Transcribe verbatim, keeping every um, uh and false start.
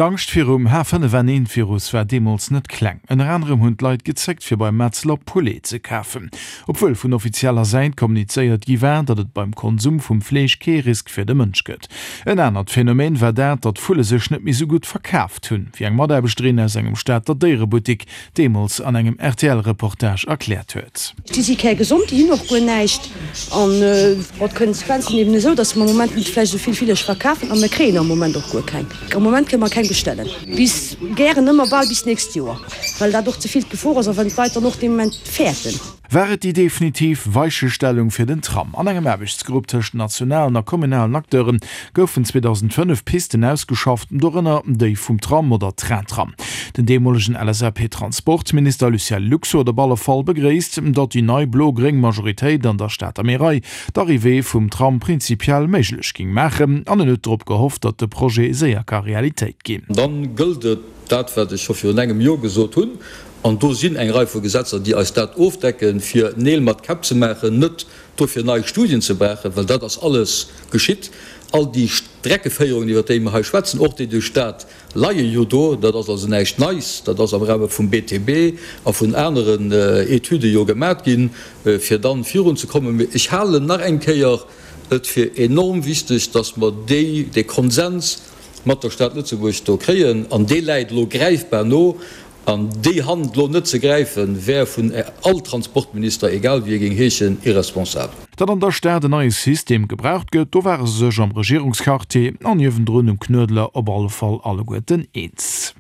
D'Angscht virum H fënnef N eent Virus war deemools net kleng. Ënner anerem hunn d'Leit gezéckt fir beim Metzler Poulet ze kafen. Obwuel vun offizieller Säit kommunizéiert gi war, datt et beim Konsum vum Fleesch kee Risk fir de Mënsch gëtt. En anert Phänomen war dat, datt Vulle sech net méi sou gutt verkaaft hunn, wéi eng Mataarbechterin aus engem Stater Déierebuttik deemools an engem R T L-Reportage erkläert huet. Déi si kärgesond, déi hunn och guer näischt. An bon, d'Konsequenz sinn eben esou, datt mer am Moment net vläicht esou vill Villesch verkafen a mir kréien am Moment och guer keng. Am Moment kënne mer keng bestellen. Bis gären ëmmer bal bis d'nächst Joer, well dat och ze vill d'Gefor ass a well d'Leit dann och dee Moment fäerten. War et déi definitiv Weichestellung fir den Tram? An engem Aarbechtsgrupp tëscht nationalen a kommunalen Acteure goufen zweedausendfënnef Pisten ausgeschafft, dorënner déi vum Tram oder Train-Tram. Den deemolegen L S A P-Transportminister Lucien Lux huet op alle Fall begréisst, datt déi nei blo-gréng Majoritéit an der Stater Märei d'Arrivée vum Tram prinzipiell méiglech géing maachen an en huet drop gehofft, datt de Projet séier ka Realitéit ginn. Dann gëllt et dat, wat ech scho virun engem Joer gesot hunn, an do sinn eng Rei vu Gesetzer, déi eis dat ofdecken, fir Neel mat Käpp ze maachen, net dofir nei Studien ze brauchen, well dat ass alles geschitt. All déi Streckeféierungen, iwwert déi mer hei schwätzen, och déi duerch d'Stad, leie jo do. Dat ass also näischt Neis. Dat ass am Rahme vum B T B a vun aneren Etüde jo gemat ginn, fir dann virunzekommen. Mee ech halen nach eng Kéier et fir enorm wichteg, dass mer déi, dee Konsens mat der Stad Lëtzebuerg do kréien, an dee läit elo gräifbar no. An déi Hand elo net ze gräifen, wär vun all Transportminister, egal wéi e géing heeschen, irresponsabel. Datt an der Stad en neie System gebraucht gëtt, do ware se sech am Regierungsquartier an niewendrun um Knuedler op alle Fall alleguerten eens.